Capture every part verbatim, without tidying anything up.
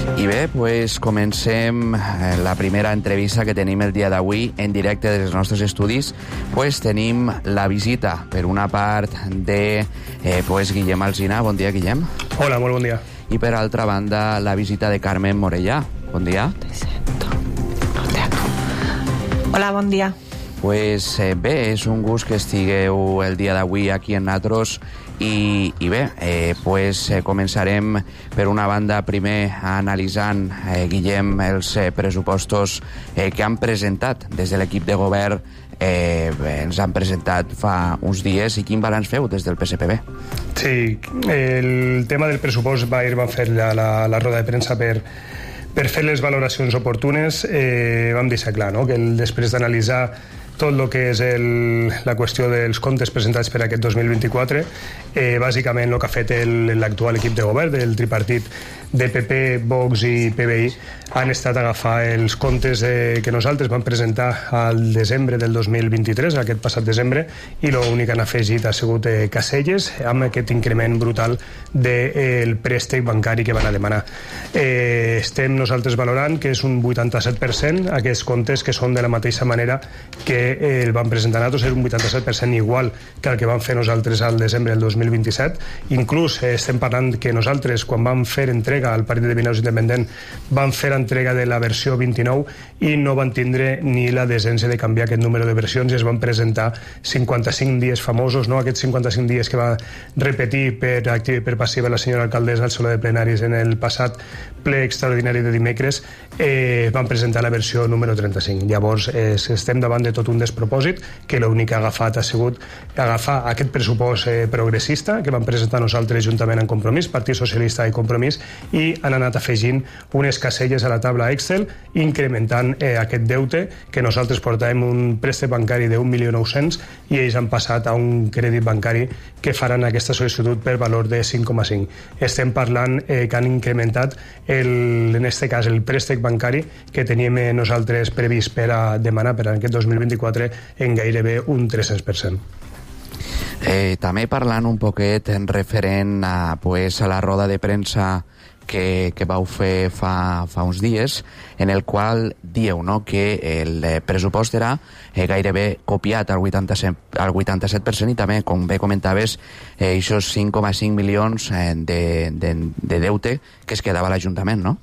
I bé, pues comencem la primera entrevista que tenim el dia d'avui en directe dels nostres estudis. Pues tenim la visita, per una part, de eh, pues Guillem Alsina. Bon dia, Guillem. Hola, molt bon dia. I per altra banda, la visita de Carmen Morellà. Bon dia. Hola, bon dia. Pues eh, bé, és un gust que estigueu el dia d'avui aquí en Natros. I, i bé, eh, pues, eh, començarem per una banda primer analitzant, eh, Guillem, els eh, pressupostos eh, que han presentat des de l'equip de govern. Eh, ens han presentat fa uns dies. I quin balanç feu des del P S P B? Sí, el tema del pressupost va ir, van fer la, la, la roda de premsa per, per fer les valoracions oportunes. Eh, vam deixar clar, no?, que el, després d'analitzar tot el que és el, la qüestió dels comptes presentats per aquest dos mil vint-i-quatre, eh, bàsicament el que ha fet l'actual equip de govern del tripartit de P P, Vox i P B I han estat a agafar els comptes de, que nosaltres vam presentar al desembre del dos mil vint-i-tres, aquest passat desembre, i l'únic que han afegit ha sigut eh, caselles amb aquest increment brutal del de, préstec bancari que van a demanar. Eh, estem nosaltres valorant que és un vuitanta-set per cent aquests comptes, que són de la mateixa manera que el van presentar nosaltres, és un vuitanta-set per cent igual que el que vam fer nosaltres al desembre del dos mil vint-i-set. Inclús eh, estem parlant que nosaltres, quan vam fer entrega al Partit de Vinaròs Independent, vam fer entrega de la versió vint-i-nou i no van tindre ni la decència de canviar aquest número de versions i es van presentar cinquanta-cinc dies famosos, no? Aquests cinquanta-cinc dies que va repetir per activa i per passiva la senyora alcaldessa al saló de plenaris en el passat ple extraordinari de dimecres, eh, van presentar la versió número trenta-cinc. Llavors eh, estem davant de tot un despropòsit, que l'únic que ha agafat ha sigut agafar aquest pressupost eh, progressista que vam presentar nosaltres juntament en Compromís, Partit Socialista i Compromís, i han anat afegint unes caselles a la taula Excel, incrementant eh, aquest deute, que nosaltres portàvem un préstec bancari d'un milió nou-cents i ells han passat a un crèdit bancari que faran aquesta sol·licitud per valor de cinc coma cinc. Estem parlant eh, que han incrementat el, en este cas el préstec bancari que teníem eh, nosaltres previst per a demanar per a aquest dos mil vint-i-quatre en gairebé un tres-cents per cent. Eh, també parlant un poquet en referent a, pues, a la roda de premsa que, que vau fer fa, fa uns dies, en el qual dieu, no?, que el eh, pressupost era eh, gairebé copiat al vuitanta-set, al vuitanta-set per cent i també, com bé comentaves, eh, aquests cinc coma cinc milions eh, de, de, de deute que es quedava a l'Ajuntament, no?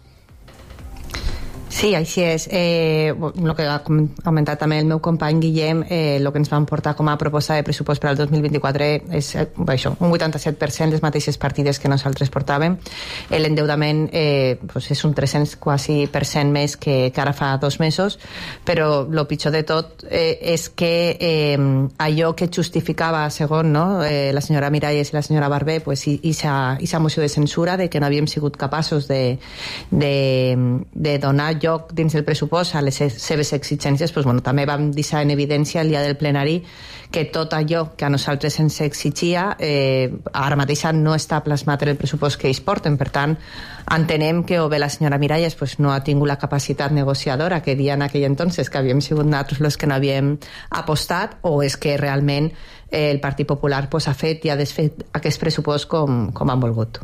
Sí, així és. Eh, el que ha comentat també el meu company Guillem, eh, el que ens van portar com a proposta de pressupost per al dos mil vint-i-quatre és eh, això, un vuitanta-set per cent les mateixes partides que nosaltres portàvem. L'endeudament eh, pues és un tres-cents quasi per cent més que, que ara fa dos mesos, però el pitjor de tot eh, és que eh, allò que justificava, segons, no, eh, la senyora Miralles i la senyora Barber, pues, i, i sa moció de censura de que no havíem sigut capaços de, de, de donar lloc dins del pressupost a les seves exigències, doncs, bueno, també vam deixar en evidència el dia del plenari que tot allò que a nosaltres ens exigia eh, ara mateix no està plasmat en el pressupost que ells porten. Per tant, entenem que o bé la senyora Miralles pues, no ha tingut la capacitat negociadora que dia en aquell entonces que havíem sigut nosaltres els que no havíem apostat, o és que realment eh, el Partit Popular pues, ha fet i ha desfet aquest pressupost com, com han volgut.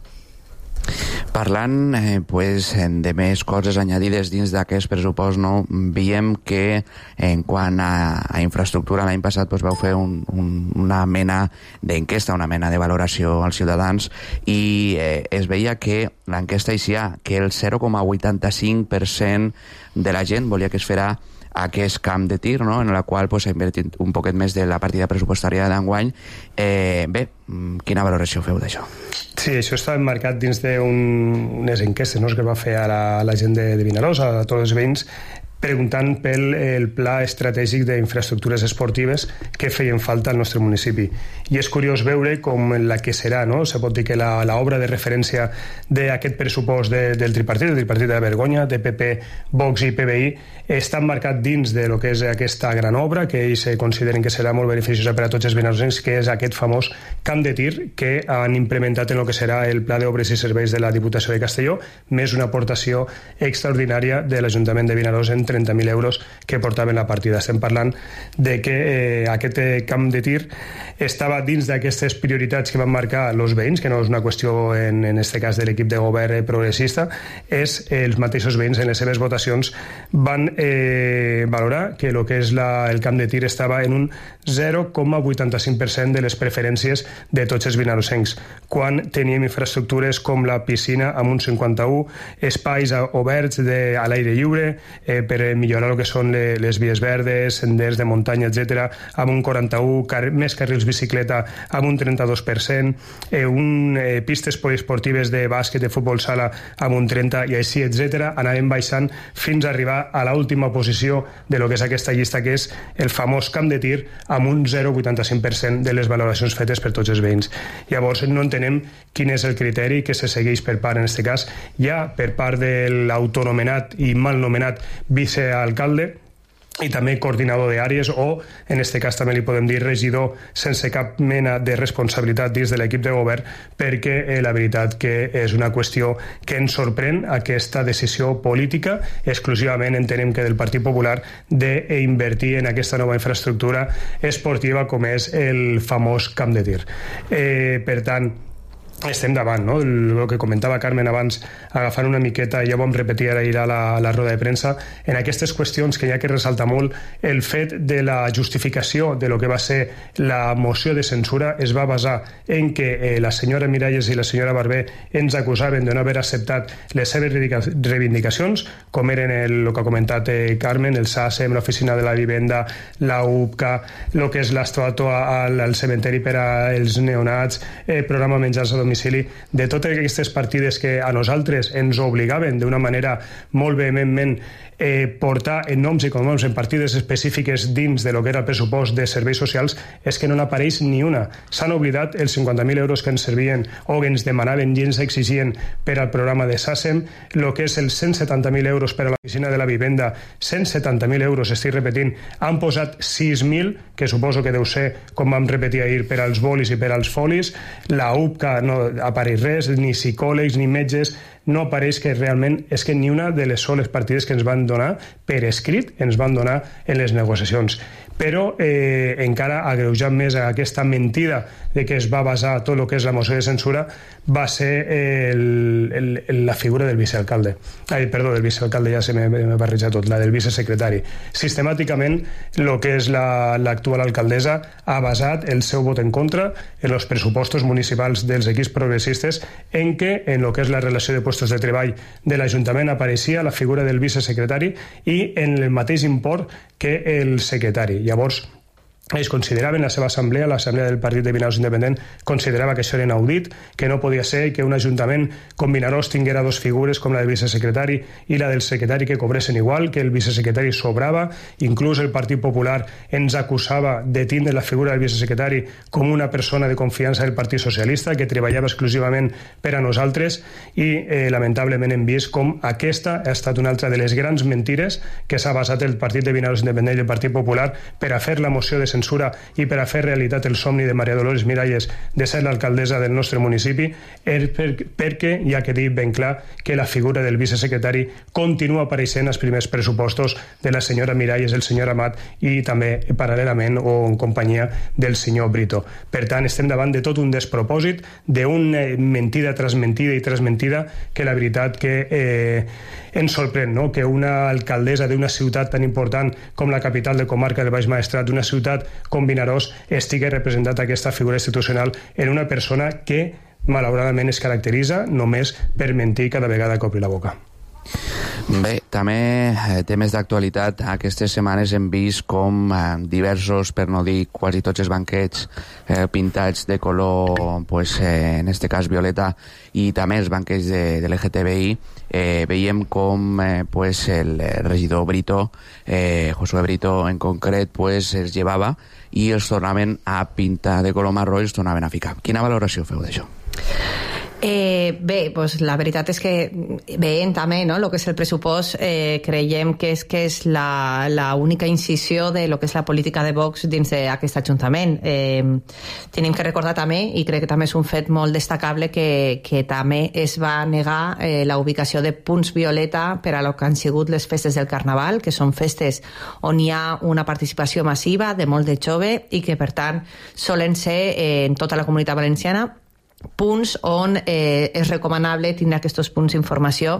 Parlant eh, pues, de més coses añadides dins d'aquest pressupost, no, veiem que en quant a, a infraestructura l'any passat pues, vau fer un, un, una mena d'enquesta, una mena de valoració als ciutadans i eh, es veia que l'enquesta eixia que el zero coma vuitanta-cinc per cent de la gent volia que es farà aquest camp de tir, no?, en la qual pues, s'ha invertit un poquet més de la partida pressupostària d'enguany. Eh, bé, quina valoració feu d'això? Sí, això està emmarcat dins d'unes enquestes, no?, que es va fer a la, a la gent de, de Vinaròs, a tots els veïns, preguntant pel el pla estratègic d'infraestructures esportives que feien falta al nostre municipi. I és curiós veure com la que serà, no? Se pot dir que l'obra de referència d'aquest pressupost de, del tripartit, del tripartit de la vergonya, de P P, Vox i P B I, està emmarcat dins de lo que és aquesta gran obra, que ells consideren que serà molt beneficiosa per a tots els vinaròsencs, que és aquest famós camp de tir que han implementat en el que serà el Pla d'Obres i Serveis de la Diputació de Castelló, més una aportació extraordinària de l'Ajuntament de Vinaròs en trenta mil euros que portaven la partida. Estem parlant de que eh, aquest camp de tir estava dins d'aquestes prioritats que van marcar els veïns, que no és una qüestió en, en este cas de l'equip de govern progressista, és els mateixos veïns en les seves votacions van eh, valorar que el que és la, el camp de tir estava en un zero coma vuitanta-cinc per cent de les preferències de tots els vinarosencs, quan teníem infraestructures com la piscina amb un cinquanta-u, espais oberts de, a l'aire lliure eh, per millorar el que són les, les vies verdes, senders de muntanya, etcètera, amb un quaranta-u, car més carrils bicicleta amb un trenta-dos per cent, eh, un, eh, pistes poliesportives de bàsquet, de futbol sala amb un trenta i així, etcètera. Anàvem baixant fins a arribar a l'última posició de lo que és aquesta llista, que és el famós camp de tir amb un zero coma vuitanta-cinc per cent de les valoracions fetes per tots els veïns. Llavors no entenem quin és el criteri que se segueix per part, en aquest cas, ja per part de l'autonomenat i mal nomenat vicealcalde i també coordinador d'àrees, o en aquest cas també li podem dir regidor sense cap mena de responsabilitat dins de l'equip de govern, perquè eh, la veritat que és una qüestió que ens sorprèn aquesta decisió política exclusivament, entenem que del Partit Popular, d'invertir en aquesta nova infraestructura esportiva com és el famós camp de tir. Eh, per tant, estem davant, no? El que comentava Carmen abans, agafant una miqueta, ja ho vam repetir ara a la, a la roda de premsa, en aquestes qüestions que hi ha que ressaltar molt, el fet de la justificació de lo que va ser la moció de censura es va basar en que eh, la senyora Miralles i la senyora Barber ens acusaven de no haver acceptat les seves reivindicacions, com eren el, el que ha comentat eh, Carmen, el SACEM, l'oficina de la vivenda, la U P C A, el que és l'estàtua al, al cementeri per als neonats, eh, programa menjars a domicili, de totes aquestes partides que a nosaltres ens obligaven d'una manera molt vehementment eh, portar en noms i cognoms en partides específiques dins de lo que era el pressupost de serveis socials, és que no n'apareix ni una. S'han oblidat els cinquanta mil euros que ens servien o que ens demanaven i ens exigien per al programa de SACEM, el que és els cent setanta mil euros per a l'oficina de la vivenda, cent setanta mil euros, estic repetint, han posat sis mil, que suposo que deu ser, com vam repetir ahir, per als bolis i per als folis. La U P C A no apareix res, ni psicòlegs ni metges, no apareix que realment és que ni una de les soles partides que ens van donar per escrit ens van donar en les negociacions. Però eh, encara agreujant més aquesta mentida de que es va basar tot el que és la moció de censura, va ser el, el, el, la figura del vicealcalde. Ai, perdó, del vicealcalde, ja se m'ha barrejat tot, la del vicesecretari. Sistemàticament, el que és l'actual la, alcaldessa ha basat el seu vot en contra en els pressupostos municipals dels equips progressistes, en què en el que és la relació de puestos de treball de l'Ajuntament apareixia la figura del vicesecretari i en el mateix import que el secretari. Llavors, ells consideraven, la seva assemblea, l'assemblea del Partit de Vinaròs Independent, considerava que això era inaudit, que no podia ser que un ajuntament com Vinaròs tinguera dos figures com la del vicesecretari i la del secretari que cobressin igual, que el vicesecretari sobrava. Inclús el Partit Popular ens acusava de tindre la figura del vicesecretari com una persona de confiança del Partit Socialista que treballava exclusivament per a nosaltres, i eh, lamentablement hem vist com aquesta ha estat una altra de les grans mentires que s'ha basat el Partit de Vinaròs Independent i el Partit Popular per a fer la moció de censura i per a fer realitat el somni de Maria Dolores Miralles de ser l'alcaldessa del nostre municipi, és per, perquè hi ha que dir ben clar que la figura del vicesecretari continua apareixent als primers pressupostos de la senyora Miralles, el senyor Amat i també paral·lelament o en companyia del senyor Brito. Per tant, estem davant de tot un despropòsit, d'una mentida tras mentida i tras mentida, que la veritat que eh, ens sorprèn, no? Que una alcaldessa d'una ciutat tan important com la capital de comarca del Baix Maestrat, d'una ciutat com Vinaròs, estigui representat aquesta figura institucional en una persona que malauradament es caracteritza només per mentir cada vegada que obri la boca. Bé, també eh, temes d'actualitat. Aquestes setmanes hem vist com eh, diversos, per no dir quasi tots els banquets eh, pintats de color, pues, eh, en este cas violeta, i també els banquets de, de l'L G T B I, eh, veiem com eh, pues, el regidor Brito, eh, Josué Brito en concret, pues, els llevava i els tornaven a pintar de color marró i els tornaven a ficar. Quina valoració feu d'això? Eh, bé, doncs la veritat és que veient també no, el que és el pressupost, eh, creiem que és que és la, la única incisió de lo que és la política de Vox dins d'aquest Ajuntament. Eh, tenim que recordar també, i crec que també és un fet molt destacable, que, que també es va negar eh, la ubicació de punts violeta per a lo que han sigut les festes del Carnaval, que són festes on hi ha una participació massiva de molt de jove i que per tant solen ser eh, en tota la Comunitat Valenciana punts on eh, és recomanable tindre aquests punts d'informació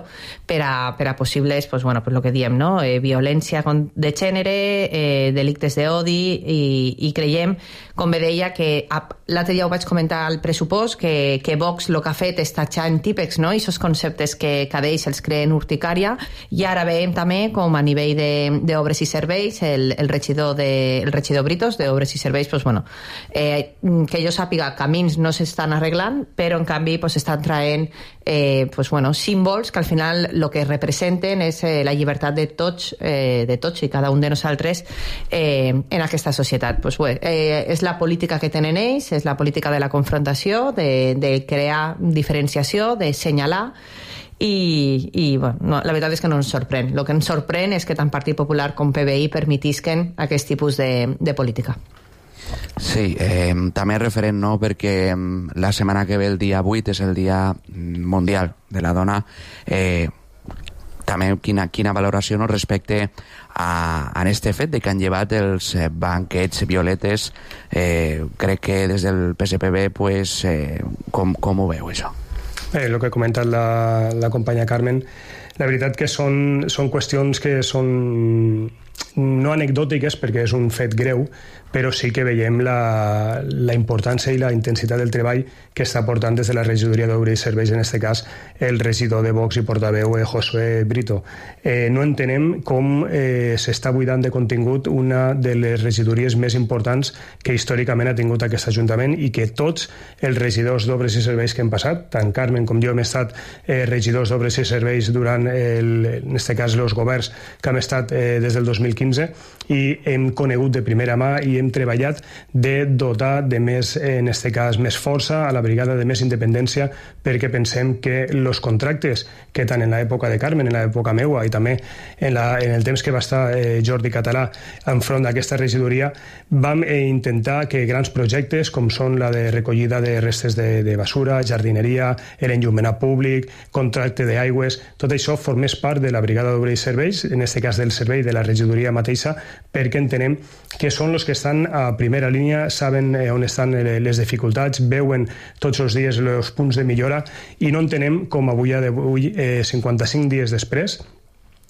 per a, per a possibles, pues, bueno, pues lo que diem, no? eh, violència de gènere, eh, delictes d'odi, i, i creiem, com bé deia, que l'altre dia ho vaig comentar al pressupost, que, que Vox el que ha fet és tatxar en típex, no? I aquests conceptes que cada ells els creen urticària, i ara veiem també com a nivell d'obres i serveis el, el regidor de, el regidor Britos d'obres i serveis, pues, bueno, eh, que jo sàpiga, camins no s'estan arreglant, però en canvi pues, estan traient eh, pues, bueno, símbols que al final el que representen és eh, la llibertat de tots, eh, de tots i cada un de nosaltres eh, en aquesta societat. Pues, bueno, eh, és la política que tenen ells, és la política de la confrontació, de, de crear diferenciació, de senyalar, i, i bueno, no, la veritat és que no ens sorprèn. El que ens sorprèn és que tant Partit Popular com P B I permetisquen aquest tipus de, de política. Sí, eh, també referent, no?, perquè la setmana que ve, el dia vuit, és el Dia Mundial de la Dona. Eh, també quina, quina valoració no, respecte a, a este fet de que han llevat els banquets violetes. Eh, crec que des del P S P B, pues, eh, com, com ho veu, això? Eh, el que ha comentat la, la companya Carmen, la veritat que són, són qüestions que són no anecdòtiques, perquè és un fet greu, però sí que veiem la, la importància i la intensitat del treball que està portant des de la regidoria d'Obres i Serveis, en aquest cas el regidor de Vox i portaveu eh, Josué Brito. Eh, no entenem com eh, s'està buidant de contingut una de les regidories més importants que històricament ha tingut aquest Ajuntament, i que tots els regidors d'Obres i Serveis que hem passat, tant Carmen com jo hem estat eh, regidors d'Obres i Serveis durant, el, en aquest cas, els governs que hem estat eh, des del dos mil quinze, i hem conegut de primera mà i hem treballat de dotar de més, en aquest cas, més força a la brigada, de més independència, perquè pensem que els contractes que tant en l'època de Carmen, en l'època meua i també en, la, en el temps que va estar eh, Jordi Català enfront d'aquesta regidoria, vam eh, intentar que grans projectes com són la de recollida de restes de, de basura, jardineria, l'enllumenat públic, contracte d'aigües, tot això formés part de la brigada d'Obres i Serveis, en aquest cas del servei de la regidoria mateixa, perquè entenem que són els que estan a primera línia, saben eh, on estan les dificultats, veuen tots els dies els punts de millora, i no entenem com avui, avui eh, cinquanta-cinc dies després,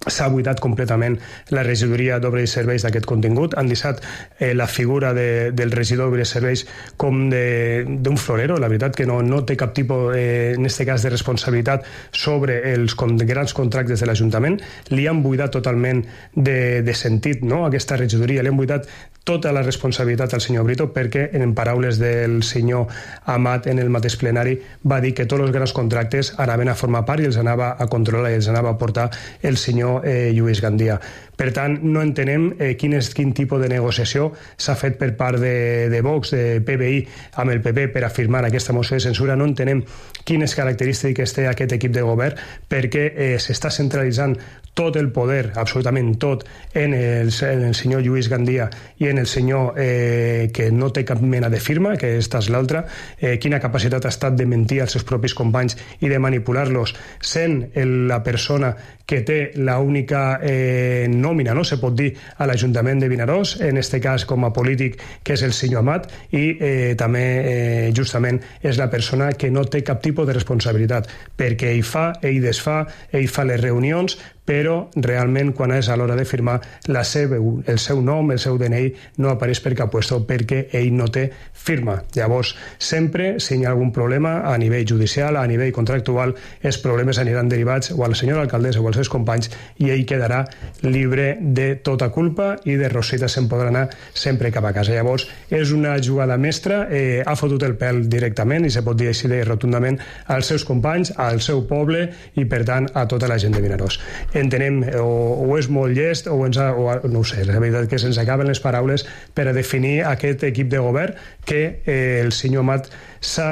s'ha buidat completament la regidoria d'Obres i Serveis d'aquest contingut. Han deixat eh, la figura de, del regidor d'Obres i Serveis com d'un florero. La veritat que no, no té cap tipus, eh, en aquest cas, de responsabilitat sobre els con, grans contractes de l'Ajuntament. Li han buidat totalment de, de sentit, no?, aquesta regidoria. Li han buidat tota la responsabilitat al senyor Brito, perquè, en paraules del senyor Amat en el mateix plenari, va dir que tots els grans contractes anaven a formar part i els anava a controlar i els anava a portar el senyor eh, Lluís Gandia. Per tant, no entenem eh, quin, és, quin tipus de negociació s'ha fet per part de, de Vox, de P B I, amb el P P per a firmar aquesta moció de censura. No entenem quines característiques té aquest equip de govern, perquè eh, s'està centralitzant tot el poder, absolutament tot, en el, en el senyor Lluís Gandia i en el senyor eh, que no té cap mena de firma, que esta és l'altra. Eh, quina capacitat ha estat de mentir als seus propis companys i de manipular-los, sent el, la persona que té l'única eh, nòmina, no se pot dir, a l'Ajuntament de Vinaròs, en aquest cas com a polític, que és el senyor Amat, i eh, també eh, justament és la persona que no té cap tipus de responsabilitat, perquè ell fa, ell desfà, ell fa les reunions, però realment quan és a l'hora de firmar la seva, el seu nom, el seu D N I no apareix per cap puesto, perquè ell no té firma. Llavors, sempre, si hi ha algun problema a nivell judicial, a nivell contractual, els problemes aniran derivats o a la senyora alcaldessa o als seus companys, i ell quedarà lliure de tota culpa i de Rosita se'n podrà anar sempre cap a casa. Llavors, és una jugada mestra, eh, ha fotut el pèl directament, i se pot dir així de rotundament, als seus companys, al seu poble i, per tant, a tota la gent de Vinaròs. Entenem, o, o és molt llest, o, ens ha, o no ho sé, la veritat que se'ns acaben les paraules per a definir aquest equip de govern que eh, el senyor Amat s'ha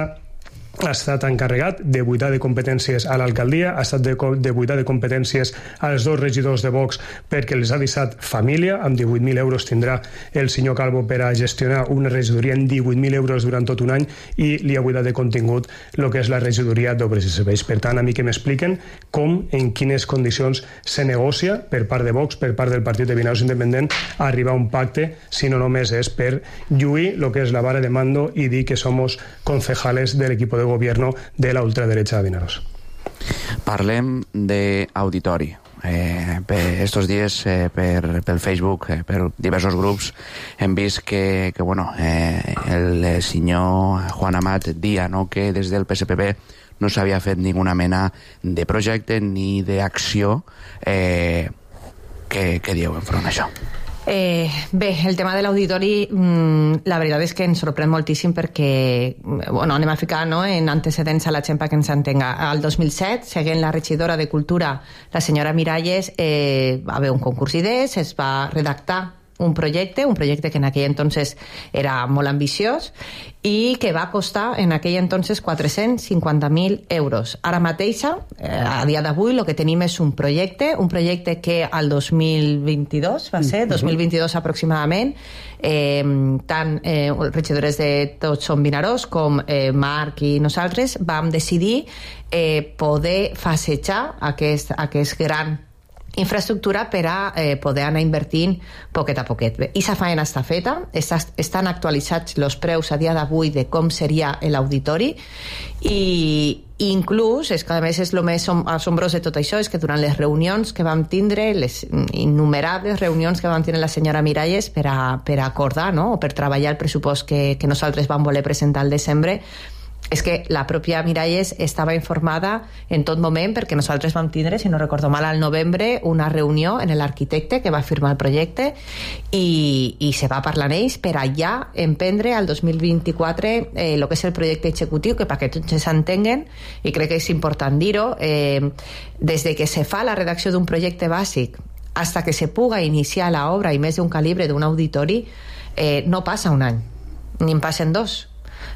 ha estat encarregat de buidar de competències a l'alcaldia, ha estat de, de buidar de competències als dos regidors de Vox perquè els ha deixat família. Amb divuit mil euros tindrà el senyor Calvo per a gestionar una regidoria en divuit mil euros durant tot un any i li ha buidat de contingut el que és la regidoria d'Obres i Serveis. Per tant, a mi que m'expliquen com, en quines condicions se negocia per part de Vox, per part del Partit de Vinaros Independent, arribar a un pacte, si no només és per lluir el que és la vara de mando i dir que somos concejales del equipo de gobierno de la ultraderecha de Vinaros. Parlem d'auditori. Eh, per estos dies eh, per, pel Facebook, eh, per diversos grups hem vist que, que bueno, eh, el senyor Juan Amat dia, no, que des del P S P B no s'havia fet ninguna mena de projecte ni d'acció. eh, què, què dieu enfront d'això? Eh, bé, el tema de l'auditori, mmm, la veritat és que ens sorprèn moltíssim perquè, bueno, anem a ficar, no, en antecedents a la gent que ens entenga. Al dos mil set, seguint la regidora de Cultura, la senyora Miralles, eh, va haver un concurs d'idees, es va redactar un projecte, un projecte que en aquell entonces era molt ambiciós i que va costar en aquell entonces quatre-cents cinquanta mil euros. Ara mateixa, eh, a dia d'avui, el que tenim és un projecte, un projecte que al dos mil vint-i-dos, va ser, dos mil vint-i-dos aproximadament, eh, tant eh, regidores de Tots som Vinaròs com eh, Marc i nosaltres vam decidir eh, poder fasejar aquest, aquest gran infraestructura per a eh, poder anar invertint poquet a poquet. I sa faena està feta, està, estan actualitzats els preus a dia d'avui de com seria l'auditori i inclús, és que a més és el més assombrós de tot això, és que durant les reunions que vam tindre, les innumerables reunions que vam tindre la senyora Miralles per a, per a acordar, no?, o per treballar el pressupost que, que nosaltres vam voler presentar al desembre, és que la pròpia Miralles estava informada en tot moment perquè nosaltres vam tindre, si no recordo mal, al novembre una reunió en l'arquitecte que va firmar el projecte i, i se va parlar amb ells per allà emprendre al dos mil vint-i-quatre eh, el que és el projecte executiu, que perquè tots s'entenguen, i crec que és important dir-ho, eh, des de que se fa la redacció d'un projecte bàsic hasta que se puga iniciar l'obra i més d'un calibre d'un auditori, eh, no passa un any, ni en passen dos.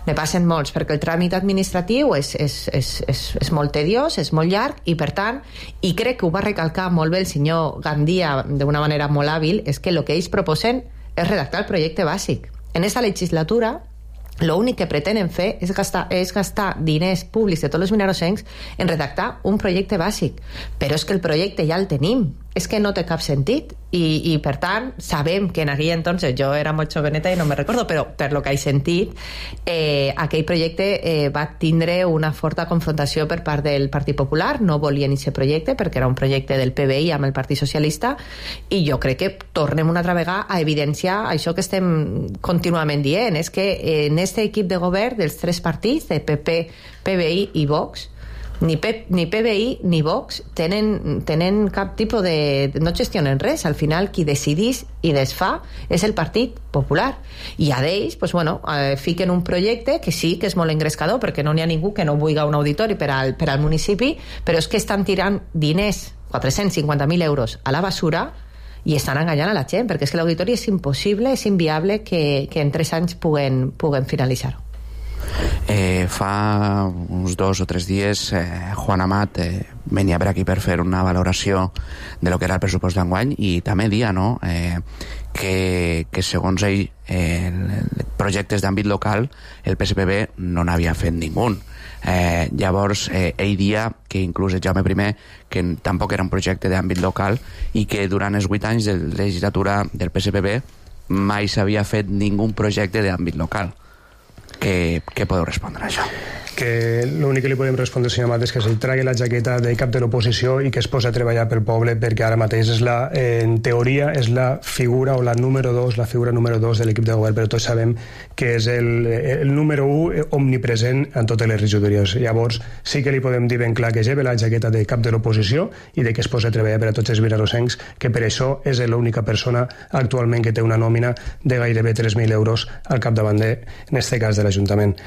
Ne passen molts, perquè el tràmit administratiu és, és, és, és, és molt tediós, és molt llarg, i per tant, i crec que ho va recalcar molt bé el senyor Gandia d'una manera molt hàbil, és que el que ells proposen és redactar el projecte bàsic. En aquesta legislatura, l'únic que pretenen fer és gastar, és gastar diners públics de tots els vinarosencs en redactar un projecte bàsic. Però és que el projecte ja el tenim, és que no té cap sentit. I, i per tant, sabem que en aquell entonces, jo era molt joveneta i no me recordo, però per lo que he sentit, eh, aquell projecte eh, va tindre una forta confrontació per part del Partit Popular, no volien aquest projecte perquè era un projecte del P B I amb el Partit Socialista, i jo crec que tornem una altra vegada a evidenciar això que estem contínuament dient, és que en aquest equip de govern dels tres partits, de P P, P B I i Vox, ni, P, ni P B I ni Vox tenen, tenen cap tipus de... no gestionen res, al final qui decidís i desfà és el Partit Popular, i a d'ells pues, bueno, eh, fiquen un projecte que sí que és molt engrescador perquè no n'hi ha ningú que no vulgui un auditori per al, per al municipi, però és que estan tirant diners, quatre-cents cinquanta mil euros a la basura, i estan enganyant a la gent, perquè és que l'auditori és impossible, és inviable que, que en tres anys puguen, puguen finalitzar-ho. Eh, fa uns dos o tres dies eh, Juan Amat eh, venia per aquí per fer una valoració de lo que era el pressupost d'enguany i també dia, no?, eh, que, que segons ell eh, projectes d'àmbit local el P S P B no n'havia fet ningú. Eh, llavors eh, ell dia que inclús el Jaume I que tampoc era un projecte d'àmbit local i que durant els vuit anys de legislatura del P S P B mai s'havia fet ningú projecte d'àmbit local. Què, què podeu respondre a això? Que l'únic que li podem respondre, senyor Amat, és que se'l tragui la jaqueta de cap de l'oposició i que es posa a treballar pel poble, perquè ara mateix és la, en teoria és la figura o la número dos, la figura número dos de l'equip de govern, però tots sabem que és el, el número un omnipresent en totes les regidories. Llavors sí que li podem dir ben clar que lleve la jaqueta de cap de l'oposició i de que es posa a treballar per a tots els vinarosencs, que per això és l'única persona actualment que té una nòmina de gairebé tres mil euros al capdavant de, en este cas, de l'Ajuntament.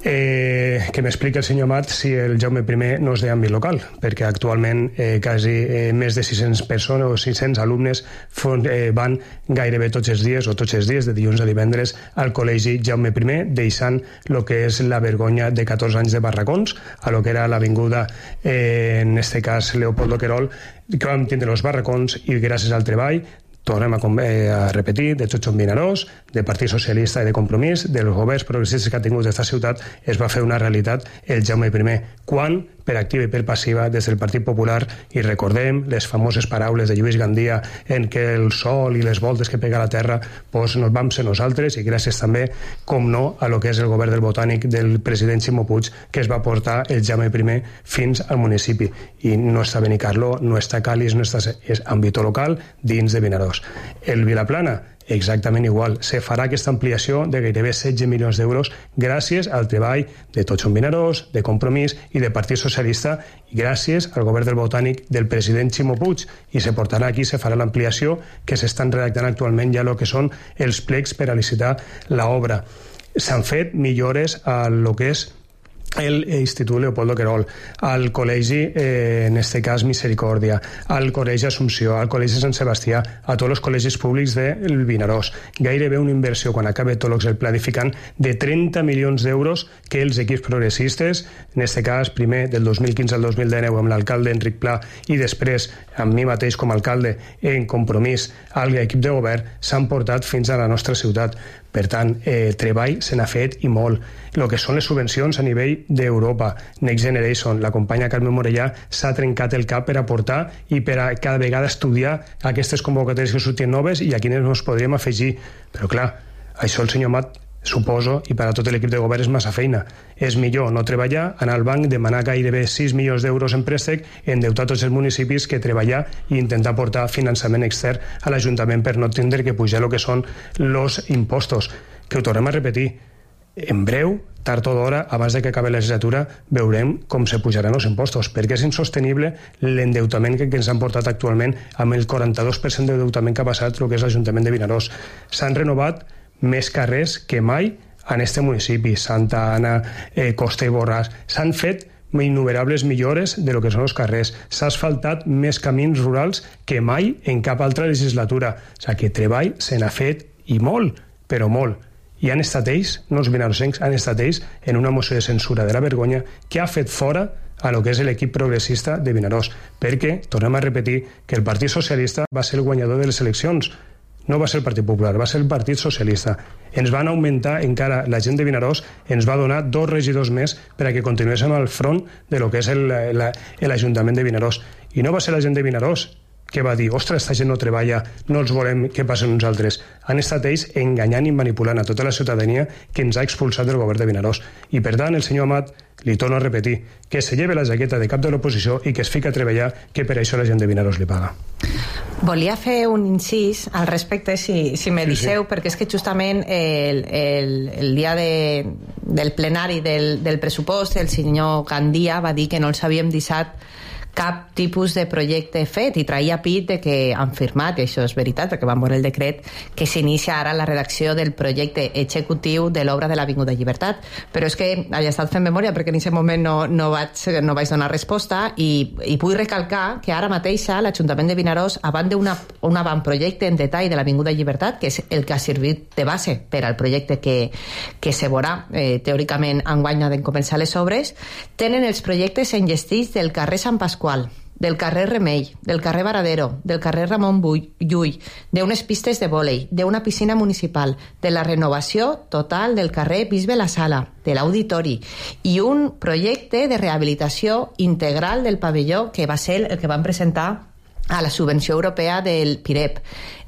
Eh, que, que m'expliqui el senyor Amat si el Jaume I no és d'àmbit local, perquè actualment eh, quasi eh, més de sis-centes persones o sis-cents alumnes fon, eh, van gairebé tots els dies o tots els dies, de dilluns a divendres, al col·legi Jaume I, deixant el que és la vergonya de catorze anys de barracons a lo que era l'avinguda, eh, en este cas Leopoldo Querol, que vam tindre els barracons i gràcies al treball tornem a, a repetir, de Txotxon Vinaròs, de Partit Socialista i de Compromís, dels governs progressistes que ha tingut aquesta ciutat, es va fer una realitat el Jaume I. Quan, per activa i per passiva, des del Partit Popular, i recordem les famoses paraules de Lluís Gandia en què el sol i les voltes que pega a la terra doncs nos vam ser nosaltres, i gràcies també, com no, a lo que és el govern del Botànic del president Ximo Puig, que es va portar el Jaume I fins al municipi. I no està Benicarló, no està Calis, no està... és àmbit local dins de Vinaròs. El Vilaplana, exactament igual. Se farà aquesta ampliació de gairebé setze milions d'euros gràcies al treball de Txotxon Vinaròs, de Compromís i de Partit Socialista, i gràcies al govern del Botànic del president Ximo Puig, i se portarà aquí, se farà l'ampliació que s'estan redactant actualment ja el que són els plecs per a licitar l'obra. S'han fet millores a lo que és l'Institut Leopoldo Querol, al col·legi, eh, en este cas Misericòrdia, al col·legi Assumpció, al col·legi Sant Sebastià, a tots els col·legis públics del Vinaròs. Gairebé una inversió, quan acabe tot el planificant, de trenta milions d'euros que els equips progressistes, en este cas primer del dos mil quinze al dos mil dinou amb l'alcalde Enric Pla i després amb mi mateix com a alcalde en Compromís al equip de govern, s'han portat fins a la nostra ciutat. Per tant, eh, treball se n'ha fet i molt. El que són les subvencions a nivell d'Europa, Next Generation, la companya Carme Morellà s'ha trencat el cap per aportar i per a cada vegada estudiar aquestes convocatòries que surten noves i a quines ens podríem afegir. Però clar, això el senyor Mat, suposo, i per a tot l'equip de govern és massa feina. És millor no treballar, anar al banc, demanar gairebé sis milions d'euros en préstec, endeutar tots els municipis, que treballar i intentar portar finançament extern a l'Ajuntament per no tindre que pujar el que són els impostos. Que ho tornem a repetir, en breu, tard o d'hora, abans de que acabi la legislatura, veurem com se pujaran els impostos, perquè és insostenible l'endeutament que, que ens han portat actualment amb el quaranta-dos per cent d'endeutament que ha passat el que és l'Ajuntament de Vinaròs. S'han renovat més carrers que mai en este municipi, Santa Anna, eh, Costa i Borràs. S'han fet innumerables millores de lo que són els carrers. S'ha asfaltat més camins rurals que mai en cap altra legislatura. O sigui que treball se n'ha fet, i molt, però molt. I han estat ells, no els vinarossencs, han estat ells en una moció de censura de la vergonya que ha fet fora a lo que és l'equip progressista de Vinaròs, perquè, tornem a repetir, que el Partit Socialista va ser el guanyador de les eleccions. No va ser el Partit Popular, va ser el Partit Socialista. Ens van augmentar encara, la gent de Vinaròs ens va donar dos regidors més per a que continuéssim al front de lo que és l'Ajuntament de Vinaròs. I no va ser la gent de Vinaròs que va dir, ostres, esta gent no treballa, no els volem que passen uns altres. Han estat ells enganyant i manipulant a tota la ciutadania que ens ha expulsat del govern de Vinaròs. I per tant, el senyor Amat, li torno a repetir, que se lleve la jaqueta de cap de l'oposició i que es fica a treballar, que per això la gent de Vinaròs li paga. Volia fer un incís al respecte, si, si me deixeu, sí, sí. Perquè és que justament el, el, el dia de, del plenari del, del pressupost, el senyor Gandia va dir que no els havíem deixat cap tipus de projecte fet i traia pit de que han firmat, i això és veritat perquè van veure el decret, que s'inicia ara la redacció del projecte executiu de l'obra de l'Avinguda Llibertat, però és que he estat fent memòria perquè en aquest moment no, no, vaig, no vaig donar resposta i, i vull recalcar que ara mateixa l'Ajuntament de Vinaròs, abans d'un avantprojecte en detall de l'Avinguda Llibertat, que és el que ha servit de base per al projecte que, que se veurà eh, teòricament enguany de començar les obres, tenen els projectes enllestits del carrer Sant Pasqual, del carrer Remei, del carrer Varadero, del carrer Ramon Llull, d'unes pistes de vòlei, d'una piscina municipal, de la renovació total del carrer Bisbe la Sala, de l'auditori, i un projecte de rehabilitació integral del pavelló que va ser el que van presentar a la subvenció europea del PIREP.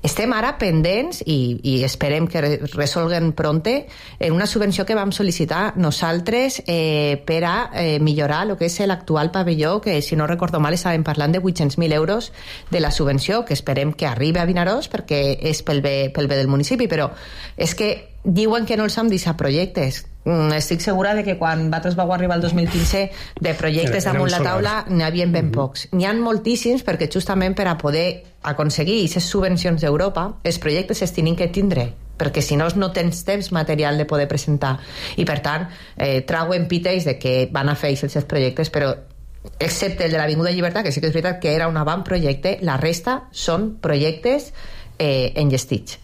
Estem ara pendents i, i esperem que resolguen pronte en una subvenció que vam sol·licitar nosaltres eh, per a eh, millorar el que és l'actual pavelló, que si no recordo mal estàvem parlant de vuit-cents mil euros de la subvenció, que esperem que arribi a Vinaròs perquè és pel bé, pel bé del municipi, però és que diuen que no els han deixat projectes. Estic segura de que quan vosaltres vau arribar el dos mil quinze de projectes damunt la taula n'hi havia ben pocs. N'hi ha moltíssims perquè justament per a poder aconseguir aquestes subvencions d'Europa els projectes es tenen que tindre perquè si no no tens temps material de poder presentar, i per tant eh, trauen piteis de que van a fer els seus projectes, però excepte el de l'Avinguda Llibertat, que sí que és veritat que era un avantprojecte, la resta són projectes eh, enllestits.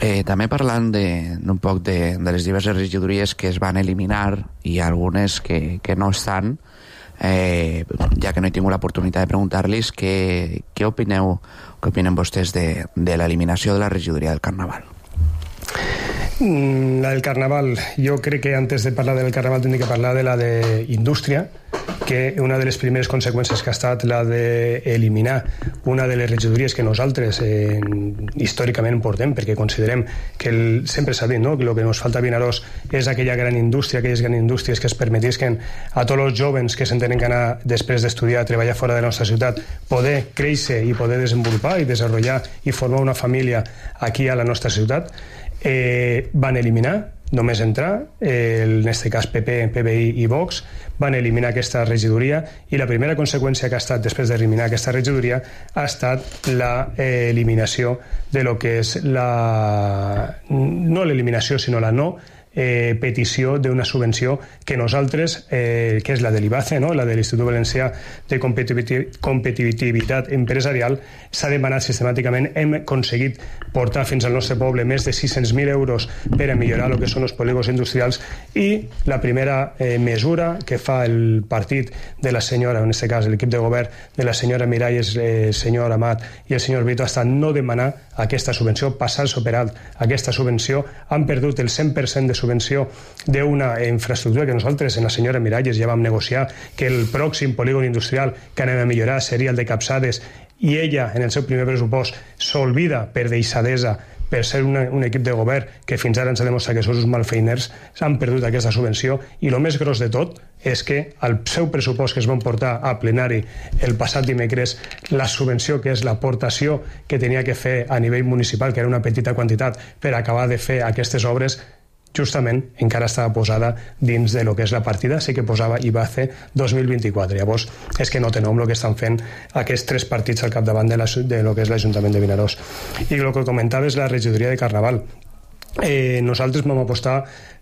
Eh, també parlant de, d'un poc de, de les diverses regidories que es van eliminar i algunes que, que no estan, eh, ja que no he tingut l'oportunitat de preguntar-los què, què opineu, què opinen vostès de, de l'eliminació de la regidoria del Carnaval. Mm, la del Carnaval, jo crec que antes de parlar del Carnaval tindria que parlar de la d'Indústria, que una de les primeres conseqüències que ha estat la d'eliminar una de les regidories que nosaltres eh, històricament portem, perquè considerem que el, sempre s'ha dit, no?, que el que ens falta a Vinaròs és aquella gran indústria, aquelles grans indústries que es permetisquen a tots els joves que s'entenen que anar després d'estudiar a treballar fora de la nostra ciutat poder créixer i poder desenvolupar i desenvolupar i formar una família aquí a la nostra ciutat. Eh, van eliminar només entrar, eh, en aquest cas P P, P B I i Vox van eliminar aquesta regidoria, i la primera conseqüència que ha estat després d'eliminar aquesta regidoria ha estat l'eliminació de lo que és la... no l'eliminació, sinó la no Eh, petició d'una subvenció que nosaltres, eh, que és la de l'IBACE, no?, la de l'Institut Valencià de Competitivitat, Competitivitat Empresarial, s'ha demanat sistemàticament. Hem aconseguit portar fins al nostre poble més de sis-cents mil euros per a millorar el que són els polígons industrials, i la primera eh, mesura que fa el partit de la senyora, en aquest cas l'equip de govern de la senyora Miralles, el eh, senyor Amat i el senyor Brito, ha estat no demanar aquesta subvenció, passar-se per alt aquesta subvenció. Han perdut el cent per cent de subvenció subvenció d'una infraestructura que nosaltres en la senyora Miralles ja vam negociar, que el pròxim polígon industrial que anem a millorar seria el de Capçades, i ella en el seu primer pressupost s'olvida per deixadesa, per ser una, un equip de govern que fins ara ens ha demostrat que són uns malfeiners, s'han perdut aquesta subvenció. I el més gros de tot és que al seu pressupost que es van portar a plenari el passat dimecres, la subvenció, que és l'aportació que tenia que fer a nivell municipal, que era una petita quantitat per acabar de fer aquestes obres, justament encara estava posada dins de lo que és la partida, sí que posava IBACE dos mil vint-i-quatre. Llavors és que no té nom el que estan fent aquests tres partits al capdavant de, la, de lo que és l'Ajuntament de Vinaròs. I el que comentava és la regidoria de Carnaval. Eh, nosaltres vam apostar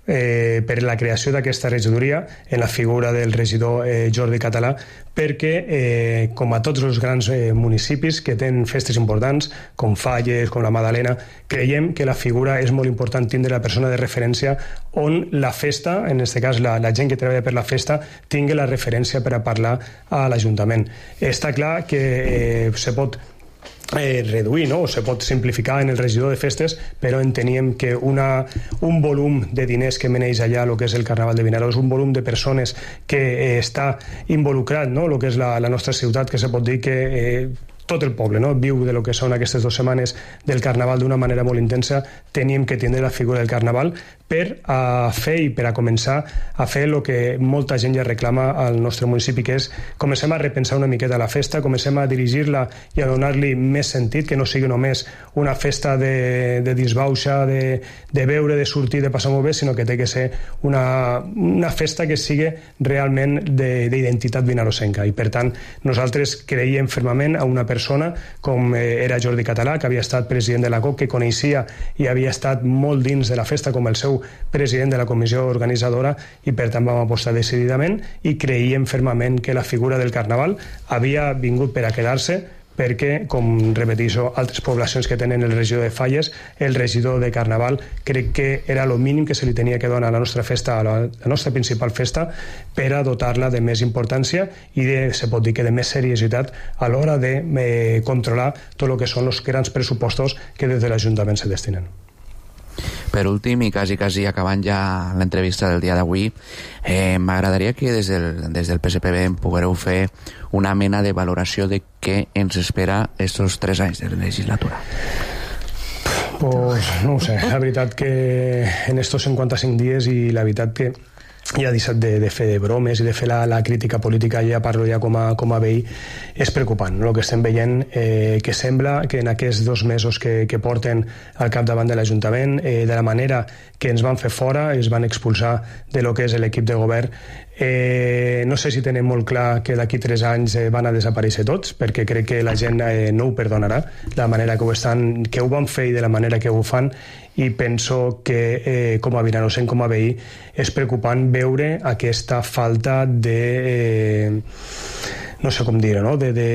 eh, per la creació d'aquesta regidoria en la figura del regidor eh, Jordi Català, perquè eh, com a tots els grans eh, municipis que tenen festes importants com Falles, com la Madalena, creiem que la figura és molt important tindre la persona de referència on la festa, en aquest cas la, la gent que treballa per la festa, tingui la referència per a parlar a l'Ajuntament. Està clar que eh, se pot Eh, reduir, no? O se pot simplificar en el regidor de festes, però enteníem que una, un volum de diners que meneix allà el que és el Carnaval de Vinaròs, un volum de persones que eh, està involucrat, no?, el que és la, la nostra ciutat, que se pot dir que eh, tot el poble, no?, viu de lo que són aquestes dues setmanes del Carnaval d'una manera molt intensa. Teníem que tindre la figura del Carnaval per a fer i per a començar a fer el que molta gent ja reclama al nostre municipi, que és comencem a repensar una miqueta la festa, comencem a dirigir-la i a donar-li més sentit, que no sigui només una festa de, de disbauxa, de, de beure, de sortir, de passar molt bé, sinó que té que ser una, una festa que sigui realment d'identitat vinarossenca. I per tant nosaltres creiem fermament a una persona com era Jordi Català, que havia estat president de la C O C, que coneixia i havia estat molt dins de la festa com el seu president de la comissió organitzadora, i per tant vam apostar decididament i creiem fermament que la figura del Carnaval havia vingut per a quedar-se, perquè, com repeteixo, altres poblacions que tenen el regidor de Falles, el regidor de Carnaval, crec que era el mínim que se li tenia que donar a la nostra festa, a la, la nostra principal festa, per a dotar-la de més importància i de, se pot dir que de més seriositat a l'hora de eh, controlar tot el que són els grans pressupostos que des de l'Ajuntament se destinen. Per últim, i quasi, quasi acabant ja l'entrevista del dia d'avui, eh, m'agradaria que des del, des del P S P B em poguereu fer una mena de valoració de què ens espera estos tres anys de legislatura. Pues no ho sé, la veritat que en estos cinquanta-cinc dies, i la veritat que ja deixat de, de fer bromes i de fer la, la crítica política, ja parlo ja com a, com a veí, és preocupant, no? El que estem veient, eh, que sembla que en aquests dos mesos que, que porten al capdavant de l'Ajuntament, eh, de la manera que ens van fer fora, ens van expulsar de lo que és l'equip de govern, Eh, no sé si tenen molt clar que d'aquí tres anys eh, van a desaparèixer tots, perquè crec que la gent eh, no ho perdonarà, la manera que ho, estan, que ho van fer i de la manera que ho fan, i penso que eh, com a vinarosent, com a veí, és preocupant veure aquesta falta de... Eh, no sé com dir-ho, no? de... de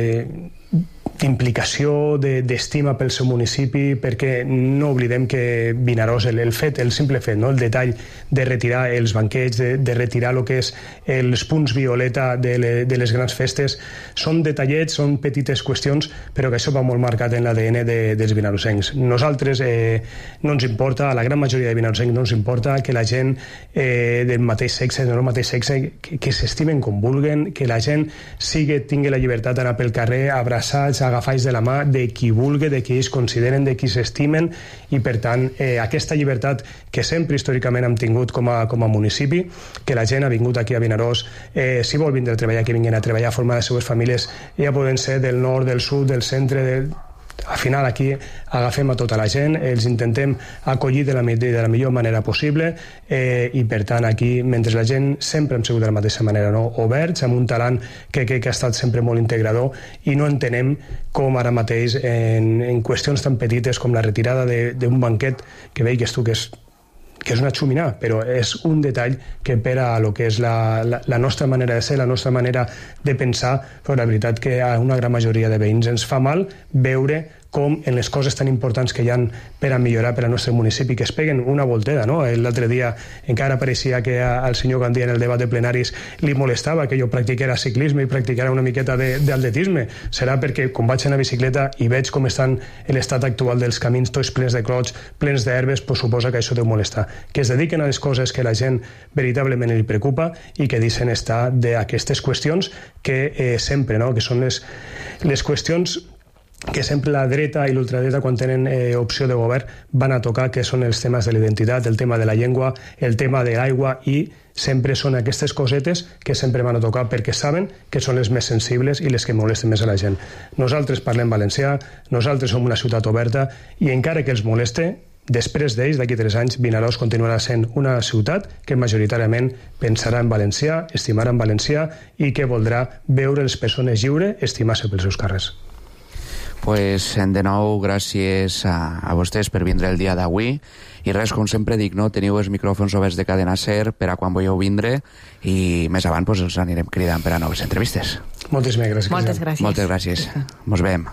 d'implicació, d'estima pel seu municipi, perquè no oblidem que Vinaròs, el, el fet, el simple fet, no? El detall de retirar els banquets, de, de retirar el que és els punts violeta de, le, de les grans festes, són detallets, són petites qüestions, però que això va molt marcat en l'A D N de, dels vinarosencs. Nosaltres eh, no ens importa, a la gran majoria de vinarosencs no ens importa que la gent eh, del mateix sexe, del mateix sexe, que, que s'estimen com vulguen, que la gent sigui, tingui la llibertat d'anar pel carrer, abraçats, agafats de la mà de qui vulgui, de qui ells consideren, de qui s'estimen, i per tant eh, aquesta llibertat que sempre històricament hem tingut com a, com a municipi, que la gent ha vingut aquí a Vinaròs, eh, si vol vindre a treballar, que vinguin a treballar, a formar les seues famílies, ja poden ser del nord, del sud, del centre, del... al final aquí agafem a tota la gent, els intentem acollir de la, de la millor manera possible, eh, i per tant aquí, mentre la gent sempre hem sigut de la mateixa manera, no? Oberts, amb un talent que, que, que ha estat sempre molt integrador, i no entenem com ara mateix en, en qüestions tan petites com la retirada d'un banquet que veig tu que és que és una xuminà, però és un detall que per a lo que és la, la, la nostra manera de ser, la nostra manera de pensar, però la veritat que a una gran majoria de veïns ens fa mal veure com en les coses tan importants que hi ha per a millorar per al nostre municipi, que es peguen una volteda, no? L'altre dia encara pareixia que al senyor Gandia en el debat de plenaris li molestava que jo practicara ciclisme i practicara una miqueta d'atletisme. Serà perquè quan vaig anar a bicicleta i veig com estan l'estat actual dels camins tots plens de clots, plens d'herbes, pues suposa que això deu molestar. Que es dediquen a les coses que la gent veritablement li preocupa i que deixen estar d'aquestes qüestions que eh, sempre, no? Que són les, les qüestions que sempre la dreta i l'ultradreta quan tenen eh, opció de govern van a tocar, que són els temes de l'identitat, el tema de la llengua, el tema de l'aigua, i sempre són aquestes cosetes que sempre van a tocar perquè saben que són les més sensibles i les que molesten més a la gent. Nosaltres parlem valencià, nosaltres som una ciutat oberta, i encara que els moleste, després d'ells, d'aquí tres anys, Vinaròs continuarà sent una ciutat que majoritàriament pensarà en valencià, estimarà en valencià, i que voldrà veure les persones lliures estimar-se pels seus carrers. Pues de nou, gràcies a, a vostès per vindre el dia d'avui, i res, com sempre dic, no? Teniu els micròfons oberts de Cadena Ser per a quan vulgueu vindre, i més avant pues, els anirem cridant per a noves entrevistes. Moltes gràcies. Moltes gràcies. Moltes gràcies. Mos veiem.